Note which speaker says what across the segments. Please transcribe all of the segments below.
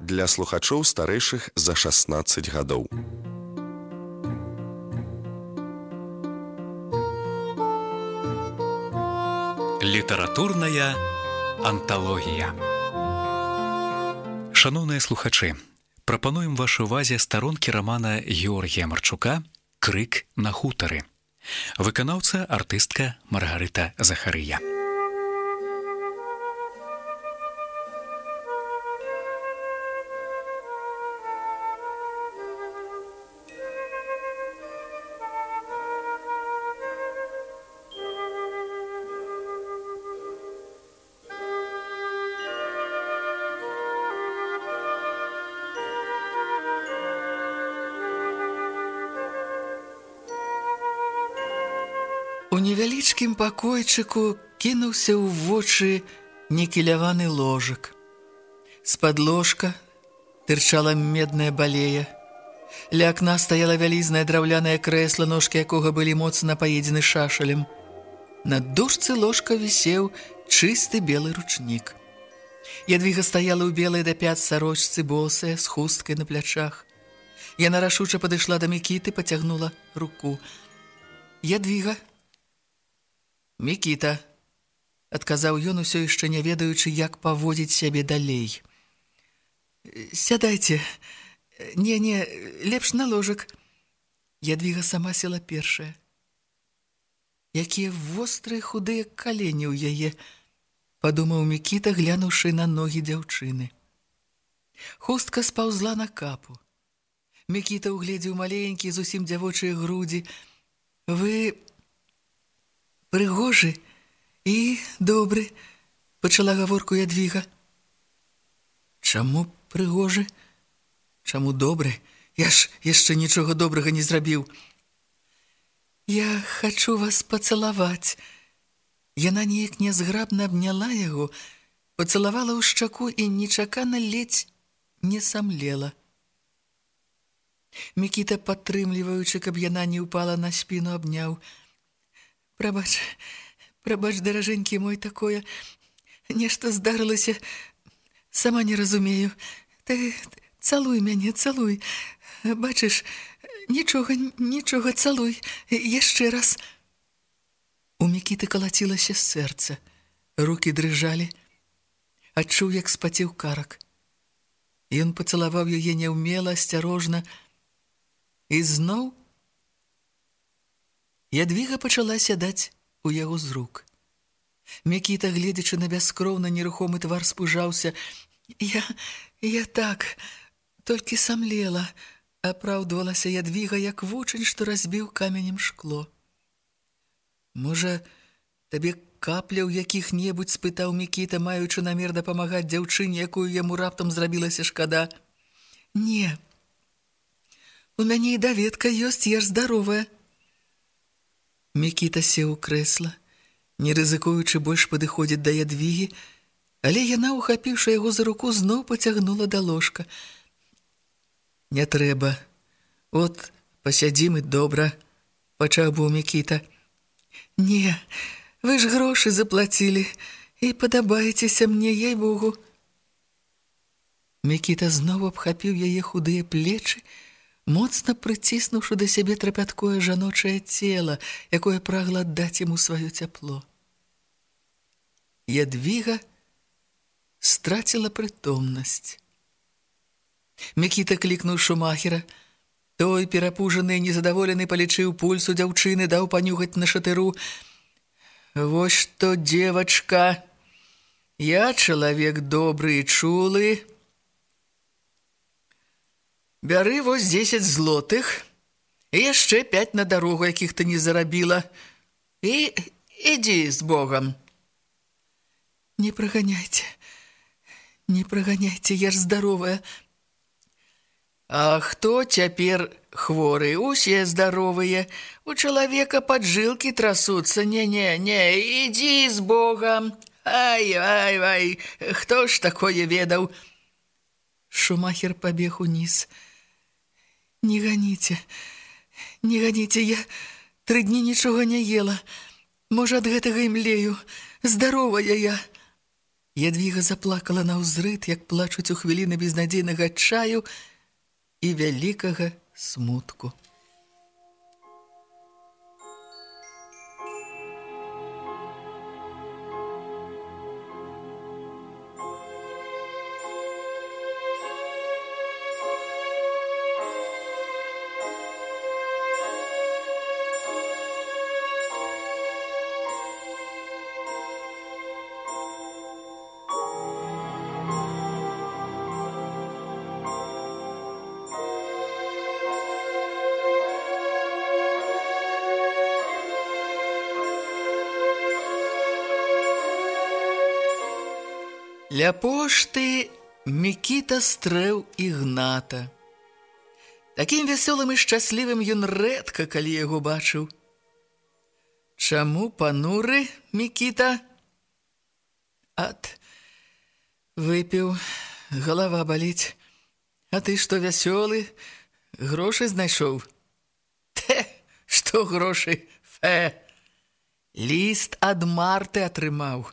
Speaker 1: для слухачоў старэйшых за 16 гадоў.
Speaker 2: Літаратурная анталогія. Шаноўныя слухачы, прапануем вашай увазе старонкі рамана Георгія Марчука «Крык на хутары». Выканаўца артыстка Маргарыта Захарыя.
Speaker 3: У невялічкім пакойчыку кінуўся ў вочы некіляваны ложак. З-пад ложка тырчала медная балея. Ля акна стаяла вялізнае драўлянае крэсла, ножкі якога былі моцна паедзены шашалем. На дошцы ложка вісеў чысты белы ручнік. Ядвіга стаяла ў белай да пят сарочцы, босая, з хусткай на плячах. Яна рашуча падышла да Мікіты, пацягнула руку. «Ядвіга!» «Мікіта», – адказаў ён, усё яшчэ не ведаючы, як паводзіць сябе далей. «Сядайце. Не, лепш на ложак». Ядвіга сама села першая. Якія вострыя худыя калені ў яе, падумаў Мікіта, глянуўшы на ногі дзяўчыны. Хустка спаўзла на капу. Мікіта угледзеў маленькія, зусім дзявочыя грудзі. «Вы прыгожы і добры», – пачала гаворку Ядвіга. «Чаму прыгожы? Чаму добры? Я ж яшчэ нічога добрага не зрабіў». «Я хачу вас пацалаваць». Яна неяк нязграбна абняла яго, пацалавала ў шчаку і нечакана ледзь не самлела. Мікіта, падтрымліваючы, каб яна не ўпала на спіну, абняў. «Прабач, даражэнькі мой, такое. Нешта здарылася. Сама не разумею. Ты цалуй мяне, цалуй. Бачыш, нічога, цалуй. Яшчэ раз». У Мікіты калацілася сэрца. Рукі дрыжалі. Адчуў, як спацеў карак. Ён пацалаваў яе няўмела, асцярожна. І зноў Ядвіга пачала сядаць у яго з рук. Мікіта, гледзячы на бяскроўны нерухомы твар, спужаўся. Я так, толькі самлела», – апраўдвалася Ядвіга, як вучань, што разбіў каменем шкло. «Можа, табе капля ў якіх-небудзь?» – спытаў Мікіта, маючы намер дапамагаць дзяўчыне, якую яму раптам зрабілася шкада. «Не, у мяне і даведка ёсць, я ж здаровая». Мікіта сеў у крэсла, не рызыкуючы больш падыходзіць да Ядвігі, але яна, ухапіўшы яго за руку, зноў пацягнула да ложка. «Не трэба. От, пасядзім і добра», – пачаў быў Мікіта. «Не, вы ж грошы заплацілі і падабаецеся мне, ей-богу». Мікіта зноў абхапіў яе худыя плечы, моцна прыціснуўшы да сябе трапяткое жаночае цела, якое прагла аддаць яму сваё цяпло. Ядвіга страціла прытомнасць. Мікіта клікнуў Шумахера. Той, перапужаны і незадаволены, палічыў пульс у дзяўчыны, даў панюхаць на шатыру. «Вось што, дзевачка, я чалавек добры і чулы. Бяры вось 10 злотых і яшчэ 5 на дарогу, якіх ты не зарабіла. І ідзі з Богам». Не праганяйте, я ж здаровая». «А хто цяпер хворы? Усе здаровыя. У чалавека паджылкі трасуцца. Не, ідзі з Богам. Ай, хто ж такое ведаў?» Шумахер пабег уніз. Не ганіце, я 3 дні нічога не ела. Можа, ад гэтага і млею. Здаровая я». Ядвіга заплакала наўзрыд, як плачуць у хвіліны безнадзейнага адчаю і вялікага смутку. Ля пошты Мікіта стрэў Ігната. Такім вясёлым і шчаслівым ён рэдка калі яго бачыў. Чаму пануры, Мікіта? Выпіў, галава баліць. А ты што, вясёлы? Грошы знайшоў? Што грошы? Ліст ад Марты атрымаў.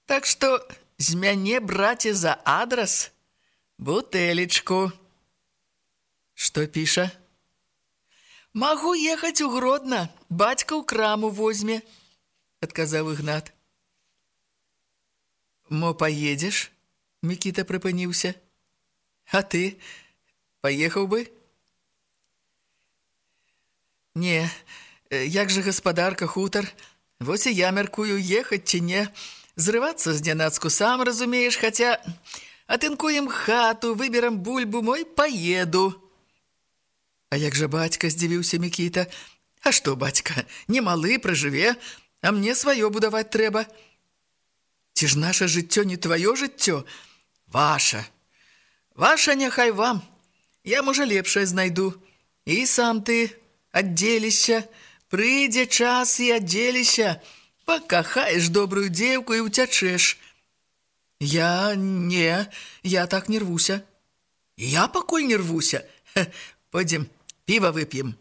Speaker 3: Так што з мяне, браце, за адрас бутэлечку. Што піша? Магу ехаць у Гродна, бацька ў краму возьме, адказаў Ігнат. Мо паедзеш? Мікіта прыпыніўся. А ты паехаў бы? Не, як жа гаспадарка, хутар? Вось і я мяркую, ехаць ці не. Зрывацца знянацку, сам разумееш, хаця атынкуем хату, выберам бульбу, мой паеду. А як жа бацька, здзівіўся Мікіта. А што, бацька, не малы, пражыве, а мне сваё будаваць трэба. Ці ж наша жыццё не тваё жыццё? Ваша. Ваша няхай вам. Я, можа, лепшае знайду. І сам ты аддзелішся. Прыйдзе час і аддзелішся. Пакахаеш добрую дзеўку і ўцячэш. Я так не рвуся. Я пакуль не рвуся. Пойдзем, піва вып'ем.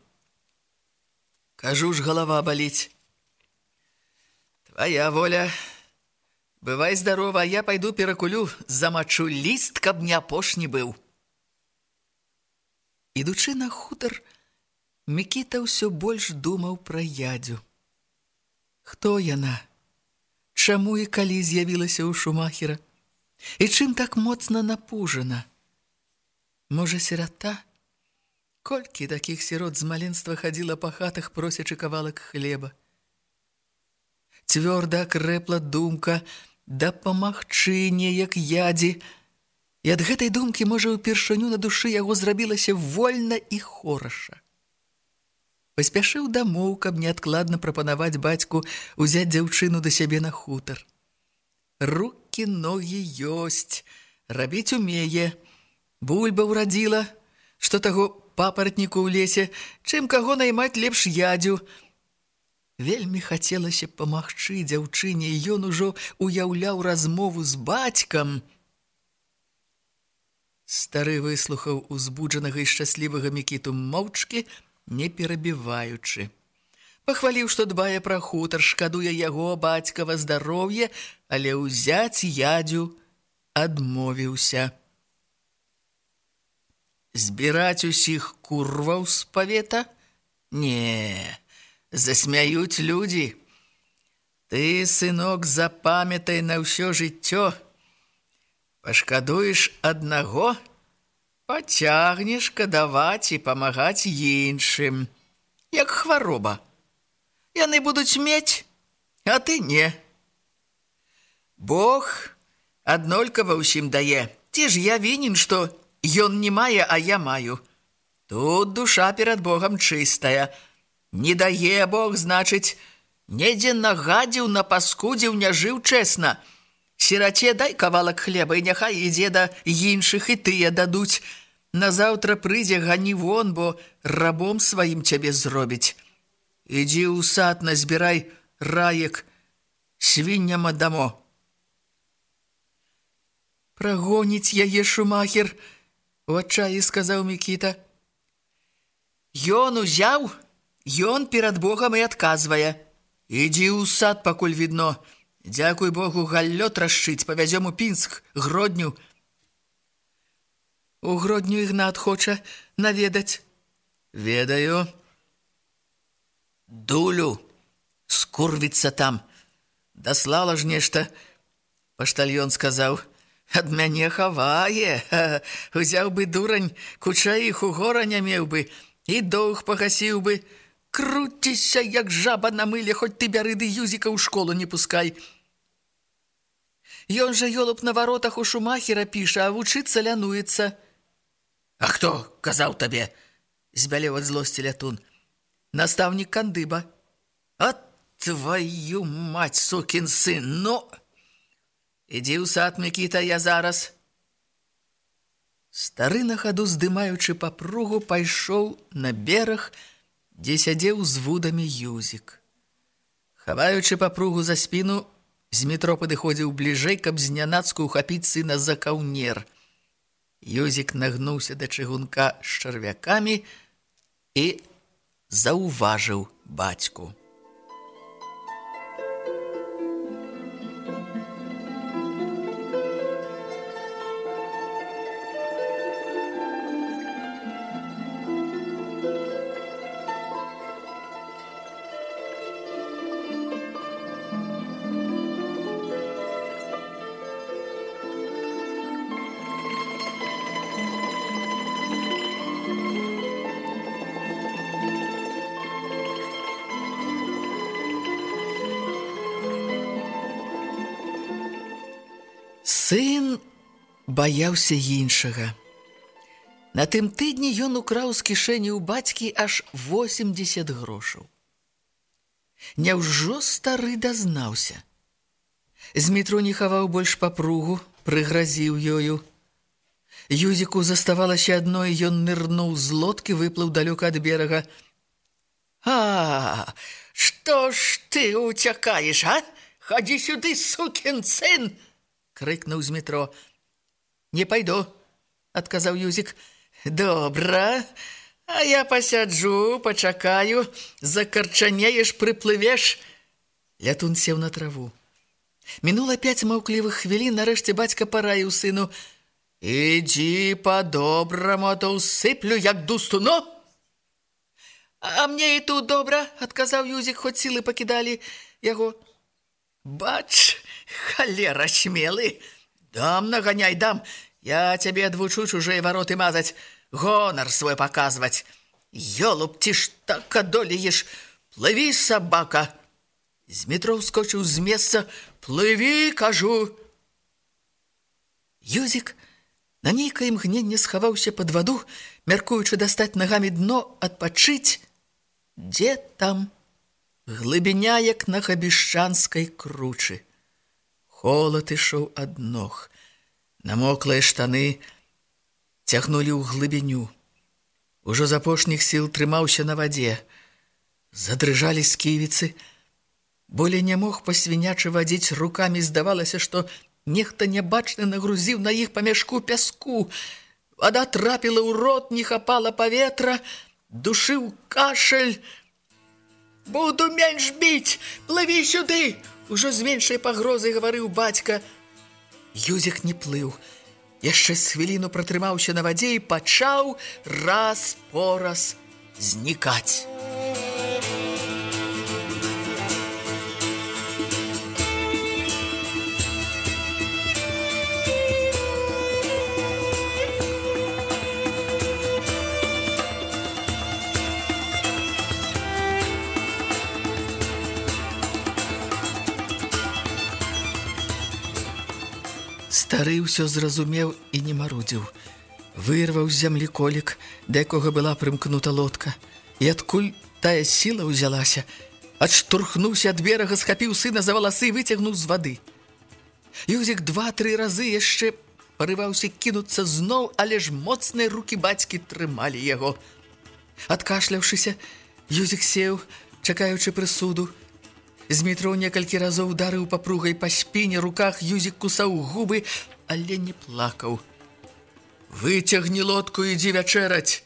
Speaker 3: Кажу ж, галава баліць. Твоя воля. Бывай здарова, а я пайду перакулю, замачу ліст, каб не апошні быў. Ідучы на хутар, Мікіта ўсё больш думаў пра Ядзю. Хто яна? Чаму і калі з'явілася ў Шумахера? І чым так моцна напужана? Можа, сірата? Колькі такіх сірот з маленства хадзіла па хатах, просячы кавалак хлеба. Цвёрда акрэпла думка дапамагчы неяк Ядзі. І ад гэтай думкі, можа, упершыню на душы яго зрабілася вольна і хораша. Паспяшыў дамоў, каб неадкладна прапанаваць бацьку узяць дзяўчыну да сябе на хутар. Рукі, ногі ёсць, рабіць умее. Бульба ўрадзіла, што таго папаратніку ў лесе, чым каго наймаць лепш Ядзю. Вельмі хацелася памагчы дзяўчыне, і ён ужо уяўляў размову з бацькам. Стары выслухаў узбуджанага і шчаслівага Мікіту моўчкі, не перабіваючы. Пахваліў, што дбае пра хутар, шкадуе яго бацькава здароўе, але ўзяць Ядзю адмовіўся. Збіраць усіх курваў з павета? Не, засмяюць людзі. Ты, сынок, запамятай на ўсё жыццё. Пашкадуеш аднаго, пацягнеш кадаваць і памагаць іншым. Як хвароба. Яны будуць мець, а ты не. Бог аднолькава ўсім дае. Ці ж я вінен, што ён не мае, а я маю. Тут душа перад Богам чыстая. Не дае Бог, значыць, недзе нагадзіў, напаскудзіў, не жыў чэсна. Сіраце дай кавалак хлеба, і няхай ідзе да іншых, і тыя дадуць. Назаўтра прыйдзе, гані вон, бо рабом сваім цябе зробіць. Ідзі ў сад, назбірай раек, свінням аддамо. Прагоніць яе Шумахер, у адчаі сказаў Мікіта. Ён узяў, ён перад Богам і адказвае. Ідзі ў сад, пакуль відно. Дзякуй Богу, галлё трашчыць, павязём у Пінск, Гродню. У Гродню Ігнат хоча наведаць. Ведаю. Дулю скурвіцца там. Даслала ж нешта, паштальён сказаў. Ад мяне хавае. Узяў бы дурань, кучаіх у гора не меў бы, і доўг пагасіў бы. Круціся, як жаба на мыле, хоць ты бяры ды Юзіка ў школу не пускай. Ён жа ёлуб на варотах у Шумахера піша, а вучыцца лянуецца. А хто казаў табе? Збялеў ад злосці Лятун. Настаўнік кандыба. А твою мать, сукін сын, ну! Ідзі ў сад, Мікіта, я зараз. Стары на хаду, здымаючы папругу, пайшоў на бераг, дзе сядзеў з вудамі Юзік. Хаваючы папругу за спіну, Змітро падыходзіў бліжэй, каб знянацку ухапіць сына за каўнер. Юзік нагнуўся да чыгунка з чарвякамі і заўважыў бацьку. Сын баяўся іншага. На тым тыдні ён украў з кішэні ў бацькі аж 80 грошаў. Няўжо стары дазнаўся? Змітро не хаваў больш папругу, прыгразіў ёю. Юзіку заставалася адно, і ён нырнуў з лодкі, выплыў далёка ад берага. А, што ж ты уцякаеш, а? Хадзі сюды, сукін сын! Крыкнуў Змітро. Не пайду, адказаў Юзік. Добра, а я пасяджу, пачакаю, закарчанееш, прыплывеш. Лятун сеў на траву. Мінула 5 маўклівых хвілін, нарэшце бацька параіў сыну. Ідзі па-добраму, а то ўсыплю, як дусту, ну! А мне і тут добра, адказаў Юзік, хоць сілы пакідалі яго. Бач, халера смелы. Дам, наганяй, дам. Я цябе адвучу чужыя вароты мазаць, гонар свой паказваць. Ёлуб, ці ж так адолееш? Плыві, сабака. Змітро ўскочыў з месца. Плыві, кажу. Юзік на нейкае імгненне схаваўся пад ваду, мяркуючы дастаць нагамі дно, адпачыць. Дзе там? Глыбіня, як на габішчанскай кручы. Холад ішоў ад ног. Намоклыя штаны цягнулі ў глыбіню. Ужо з апошніх сіл трымаўся на вадзе. Задрыжалі сківіцы. Болей не мог па-свінячы вадзіць рукамі. Здавалася, што нехта нябачны нагрузіў на іх па мяшку пяску. Вада трапіла ў рот, не хапала паветра, душыў кашель. Буду менш біць, плыві сюды! Ужо з меншай пагрозай гаварыў бацька. Юзік не плыў. Яшчэ з хвіліну пратрымаўся на вадзе і пачаў раз-пораз знікаць. Стары ўсё зразумеў і не марудзіў. Вырваў з зямлі колік, да якога была прымкнута лодка. І адкуль тая сіла ўзялася, адштурхнуўся ад берага, схапіў сына за валасы і выцягнуў з вады. Юзік 2-3 разы яшчэ парываўся кінуцца зноў, але ж моцныя рукі бацькі трымалі яго. Адкашляўшыся, Юзік сеў, чакаючы прысуду. Змітро некалькі разоў ударыў папругай па спіне, руках Юзік кусаў губы, але не плакаў. Выцягні лодку, ідзі вячэраць.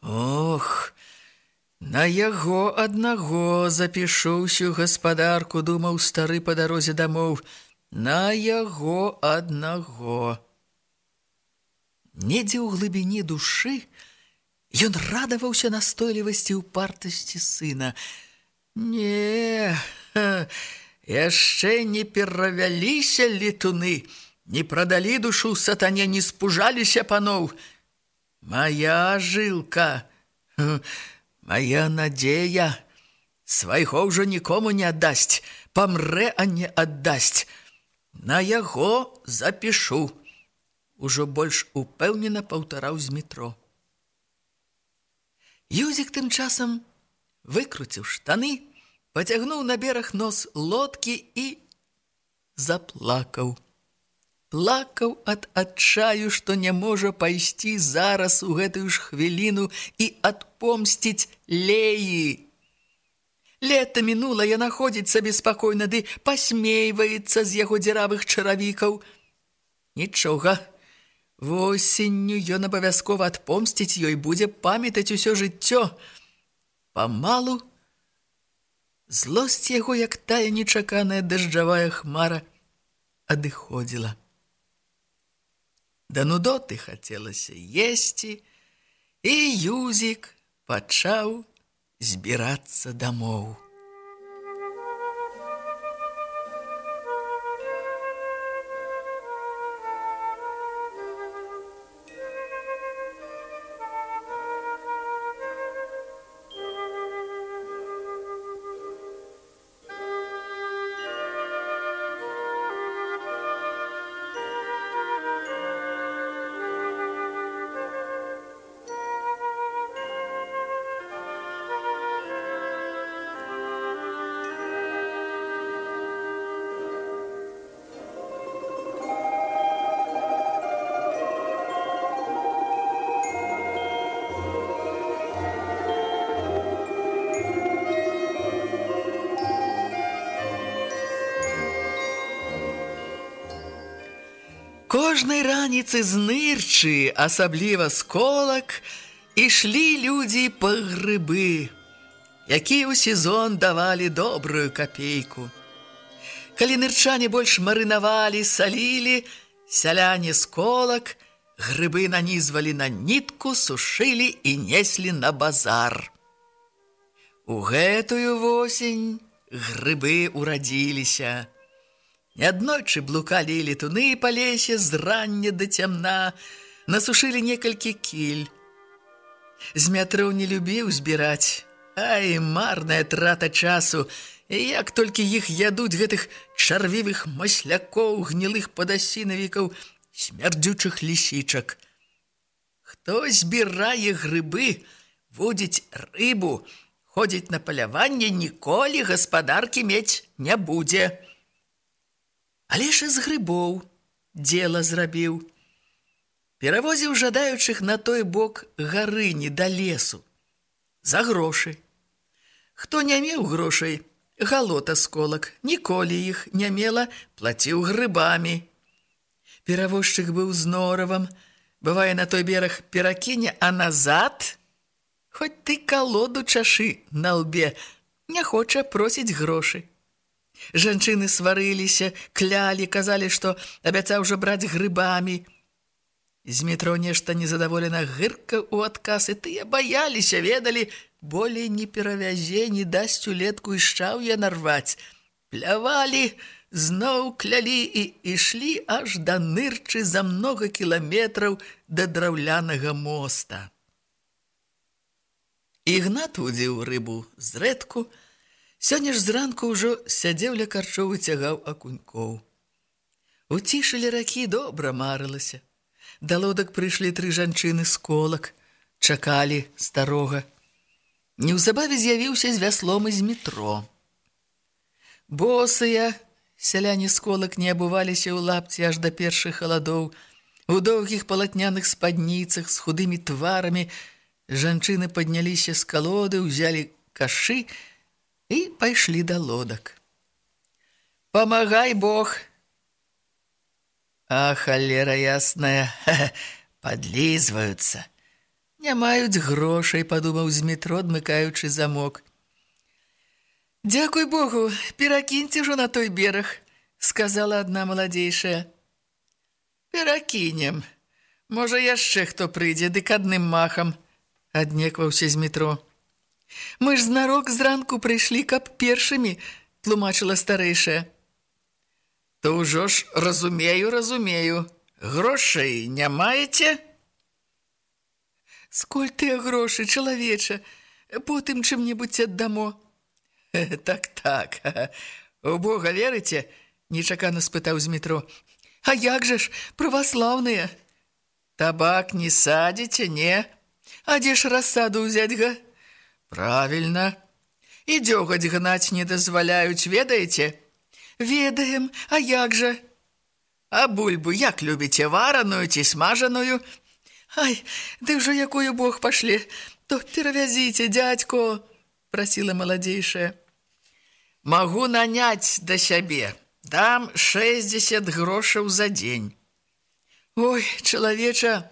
Speaker 3: Ох, На яго аднаго запішу ўсю гаспадарку, думаў стары па дарозе дамоў. На яго аднаго. Недзе ў глыбіні душы ён радаваўся настойлівасці і упартасці сына. Не, яшчэ не перавяліся летуны, не прадалі душу сатане, не спужаліся паноў. Мая жылка, мая надзея, свайго ўжо нікому не аддасць, памрэ, а не аддасць. На яго запішу. Ужо больш упэўнена паўтараў Змітро. Юзік тым часам выкруціў штаны, пацягнуў на бераг нос лодкі і заплакаў. Плакаў ад адчаю, што не можа пайсці зараз у гэтую ж хвіліну і адпомсціць Леі. Лета мінула, яна ходзіць сабе спакойна, ды пасмейваецца з яго дзіравых чаравікаў. Нічога, восенню ён абавязкова адпомсціць ёй, будзе памятаць усё жыццё. Памалу злосць яго, як тая нечаканая дажджавая хмара, адыходзіла. Да нудоты хацелася есці, і Юзік пачаў збірацца дамоў. Кожнай раніцы з нырчы, асабліва з колак, ішлі людзі па грыбы, якія ў сезон давалі добрую капейку. Калі нырчане больш марынавалі, салілі, сяляне з колак грыбы нанізвалі на нітку, сушылі і неслі на базар. У гэтую восень грыбы урадзіліся. Неаднойчы блукалі летуны па лесе з рання да цямна, насушылі некалькі кіль. Змятроў не любіў збіраць. Ай, марная трата часу. І як толькі іх ядуць, гэтых чарвівых маслякоў, гнілых падасінавікаў, смярдзючых лісічак. Хто збірае грыбы, водзіць рыбу, ходзіць на паляванне, ніколі гаспадаркі мець не будзе. Але ж з грыбоў дзела зрабіў. Перавозіў жадаючых на той бок гарыні да лесу. За грошы. Хто не меў грошай, галота з колак, ніколі іх не мела, плаціў грыбамі. Перавозчык быў з норавам, бывае на той бераг перакіне, а назад, хоць ты калоду чашы на лбе, не хоча просіць грошы. Жанчыны сварыліся, клялі, казалі, што абяцаў жа браць грыбамі. Змітро нешта незадаволена гыркаў у адказ, і тыя баяліся, ведалі, болей не перавязе, не дасць улетку і шчаўя нарваць. Плявалі, зноў клялі і ішлі аж да нырчы за многа кіламетраў да драўлянага моста. Ігнат вудзіў рыбу зрэдку. Сёння ж зранку ўжо сядзеў ля карчоў і цягаў акунькоў. У цішы ля ракі добра марылася. Да лодак прыйшлі 3 жанчыны з колак, чакалі старога. Неўзабаве з'явіўся з вяслом і Змітро. Босыя сяляне з колак не абуваліся ў лапці аж да першых халадоў. У доўгіх палатняных спадніцах з худымі тварамі жанчыны падняліся з калоды, узялі кашы і пайшлі да лодак. «Памагай, Бог!» «А, холера ясная, подлізваюцца!» Не маюць грошай, падумаў Змітро, адмыкаючы замок. Дзякуй Богу, перакіньце ўжо на той бераг, сказала адна маладзейшая. Перакінем. Можа, яшчэ хто прыйдзе, дык адным махам, аднекваўся Змітро. Мы ж знарок зранку прыйшлі, каб першымі, тлумачыла старэйшая. То ўжо ж разумею. Грошай не маеце? Сколь тыя грошы, чалавеча, потым чым-небудзь аддамо. Так. У Бога верыце? Нечакана спытаў Змітро. А як жа ж, праваслаўныя? Табак не садзіце, не? А дзе ж рассаду ўзяць, га? Правільна. І дзёгаць гнаць не дазваляюць, ведаеце? Ведаем, а як жа? А бульбу як любіце, вараную ці смажаную? Ай, ды ўжо якую Бог пашле, то перавязіце, дзядзько, прасіла маладзейшая. Магу наняць да сябе, дам 60 грошаў за дзень. Ой, чалавеча,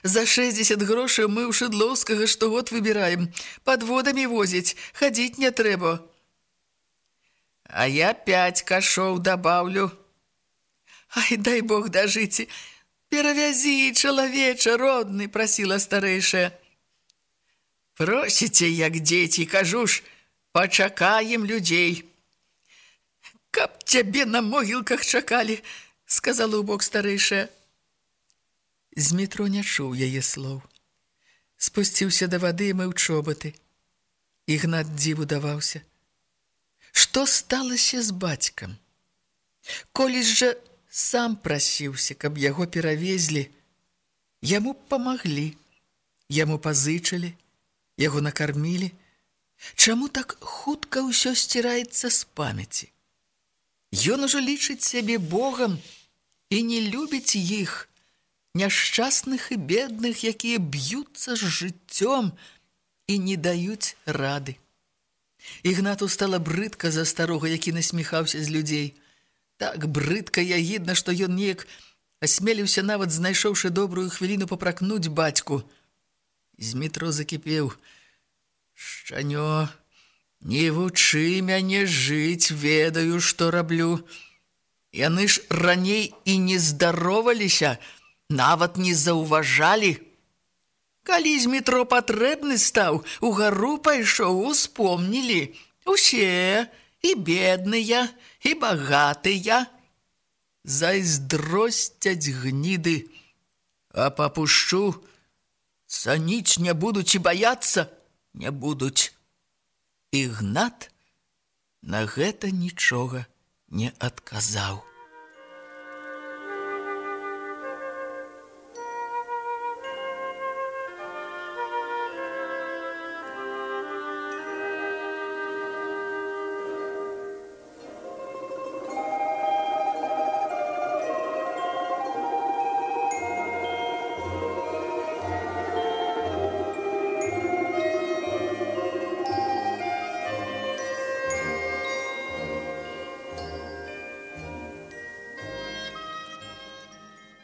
Speaker 3: за 60 грошаў мы ў Шыдлоўскага штогод выбіраем, падводамі возіць, хадзіць не трэба. А я 5 кашоў дабаўлю. Ай, дай Бог дажыце, перавязі, чалавеча, родны, прасіла старэйшая. Просіце, як дзеці, кажу ж, пачакаем людзей. Каб цябе на могілках чакалі, сказала ў бок старэйшая. Змітро не чуў яе слоў. Спусціўся да вады і мыў чобаты. Ігнат дзіву даваўся. Што сталася з бацькам? Колісь жа сам прасіўся, каб яго перавезлі. Яму памаглі, яму пазычылі, яго накармілі. Чаму так хутка ўсё сціраецца з памяці? Ён ужо лічыць сябе Богам і не любіць іх, няшчасных і бедных, якія б'юцца з жыццём і не даюць рады. Ігнату стала брыдка за старога, які насміхаўся з людзей. Так брыдка і агідна, што ён неяк асмеліўся, нават знайшоўшы добрую хвіліну папракнуць бацьку. Змітро закіпеў. Шчанё, не вучы мяне жыць, ведаю, што раблю. Яны ж раней і не здароваліся, нават не заўважалі. Калі Змітро патрэбны стаў, угару пайшоў, успомнілі. Усе, і бедныя, і багатыя. Зайздросцяць гніды, а папушчу, цаніць не будуць і баяцца не будуць. Ігнат на гэта нічога не адказаў.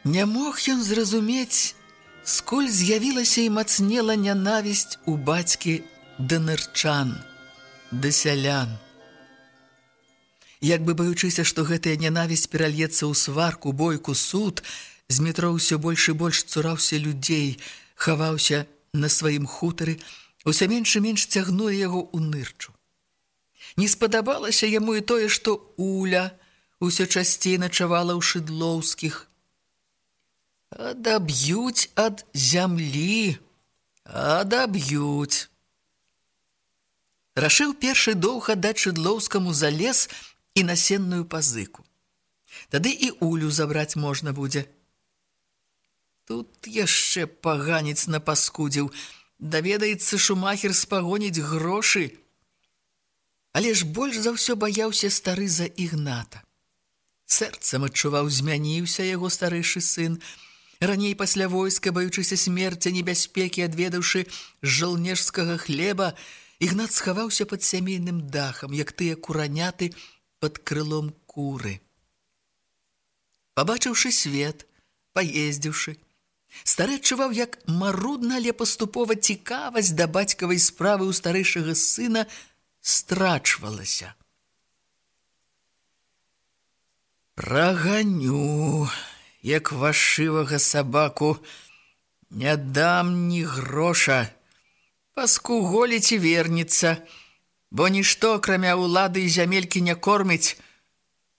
Speaker 3: Не мог ён зразумець, сколь з'явілася і мацнела нянавісць у бацькі да нырчан, да сялян. Як бы баючыся, што гэтая нянавісць перальецца ў сварку, бойку, суд, Змітро ўсё больш і больш цураўся людзей, хаваўся на сваім хутары, усё менш і менш цягнула яго ў нырчу. Не спадабалася яму і тое, што Уля ўсё часцей начавала ў Шыдлоўскіх. Адаб'юць ад зямлі, адаб'юць. Рашыў першы доўг аддаць Шыдлоўскаму за лес і насенную пазыку. Тады і Улю забраць можна будзе. Тут яшчэ паганец напаскудзіў. Даведаецца, шумахер спагоніць грошы. Але ж больш за ўсё баяўся стары за Ігната. Сэрцам адчуваў, змяніўся яго старэйшы сын. Раней пасля войска, баючыся смерці, небяспекі, адведаўшы з жалнежскага хлеба, Ігнат схаваўся пад сямейным дахам, як тыя кураняты пад крылом куры. Пабачыўшы свет, паездзіўшы, Стары адчуваў, як марудна, але паступова цікавасць да бацькавай справы ў старэйшага сына страчвалася. «Праганю, як вашывага сабаку, не дам ні гроша, паскуголіць і вернецца, бо нішто, акрамя ўлады і зямелькі, не корміць».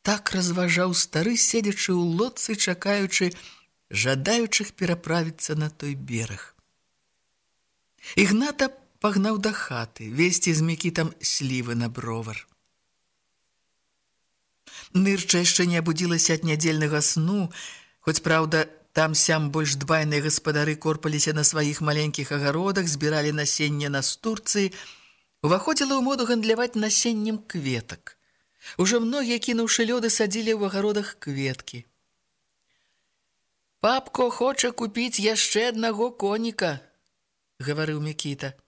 Speaker 3: Так разважаў стары, седзячы ў лодцы, чакаючы жадаючых пераправіцца на той бераг. Ігната пагнаў да хаты, весці з Мікітам слівы на бровар. Нырча яшчэ не абудзілася ад нядзельнага сну, хоць, праўда, там-сям больш дбайныя гаспадары корпаліся на сваіх маленькіх агародах, збіралі насенне настурцыі, уваходзіла ў моду гандляваць насеннем кветак. Ужо многія, кінуўшы лёды, садзілі ў агародах кветкі. «Папко хоча купіць яшчэ аднаго коніка», – гаварыў Мікіта.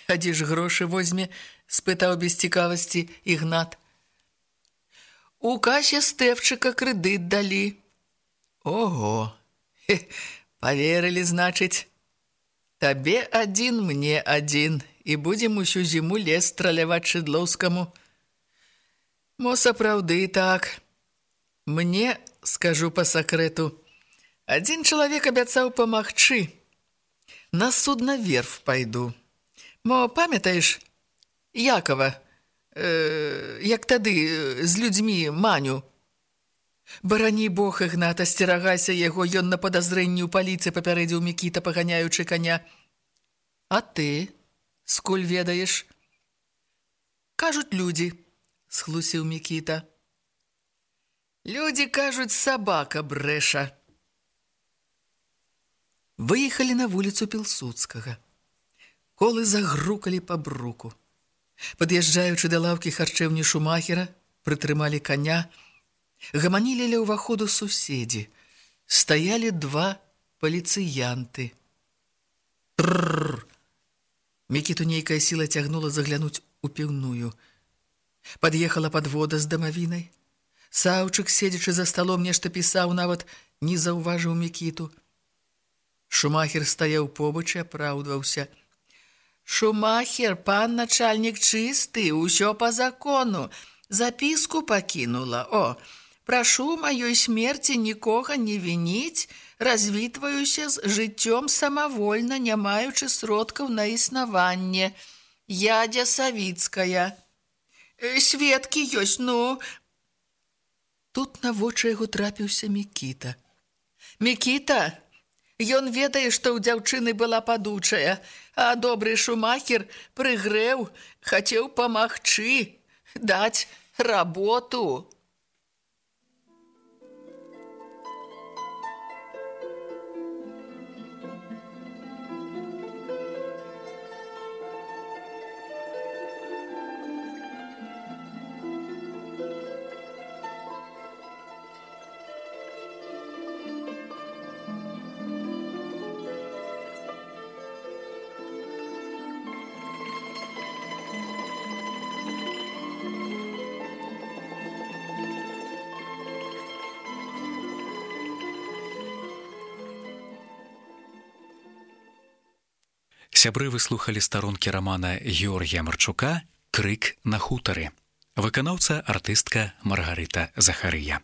Speaker 3: «А дзе ж грошы возьме?» – спытаў без цікавасці Ігнат. «У касе Стэвчыка крэдыт далі». «Ого! Паверылі, значыць. Табе адзін, мне адзін, і будзем усю зіму лес страляваць Шыдлоўскаму». «Мо сапраўды так. Мне, скажу па сакрэту, адзін чалавек абяцаў памагчы. На суднаверф пайду. Мо памятаеш Якова, як тады з людзьмі Маню? Барані Бог, Ігнат, асцерагайся яго, ён на падазрэнні ў паліцыі папярэдзіў Мікіта, паганяючы каня. А ты скуль ведаеш?» «Кажуць людзі», – схлусіў Мікіта. «Людзі кажуць, сабака брэша». Выехалі на вуліцу Пілсудскага. Колы загрукалі па бруку. Пад'язджаючы да лаўкі харчэўні Шумахера, прытрымалі коня. Гаманілі ля ўваходу суседзі. Стаялі два паліцыянты. Трррр! Мікіту нейкая сіла цягнула заглянуць у піўную. Пад'ехала падвода з дамавінай. Саўчык, седзячы за сталом, нешта пісаў, нават не заўважыў Мікіту. Шумахер стаяў побач і апраўдваўся. «Шумахер, пан начальнік чысты, усё па закону. Запіску пакінула. О, прашу маёй смерці нікога не вініць, развітваюся з жыццём самавольна, не маючы сродкаў на існаванне. Ядзя Савіцкая. Сведкі ёсць, ну». Тут на вочы яго трапіўся Мікіта. «Мікіта, ён ведае, што ў дзяўчыны была падучая, а добры Шумахер прыгрэў, хацеў памагчы, даць работу».
Speaker 2: Сябры, выслухалі старонкі рамана Георгія Марчука «Крык на хутары». Выканаўца артыстка Маргарыта Захарыя.